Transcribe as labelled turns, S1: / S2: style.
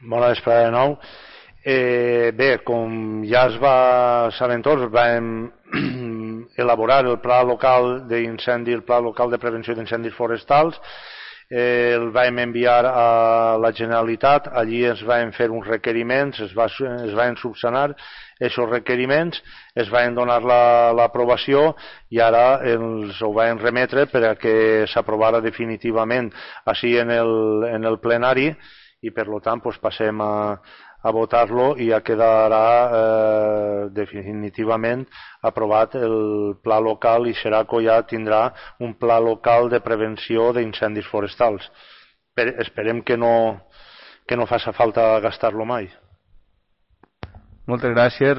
S1: Bona vesprada de nou. Bé, com ja saben tots, vam elaborar el pla local d'incendi, el pla local de prevenció d'incendis forestals. El vam enviar a la Generalitat, allí es van fer uns requeriments, es van subsanar aquests requeriments, es van donar l'aprovació i ara els ho van remetre per a que s'aprovara definitivament així en el plenari i per tant passem a votar-lo i ja quedarà definitivament aprovat el pla local i Xeraco ja tindrà un pla local de prevenció d'incendis forestals. Esperem que no faci falta gastar-lo mai.
S2: Moltes gràcies,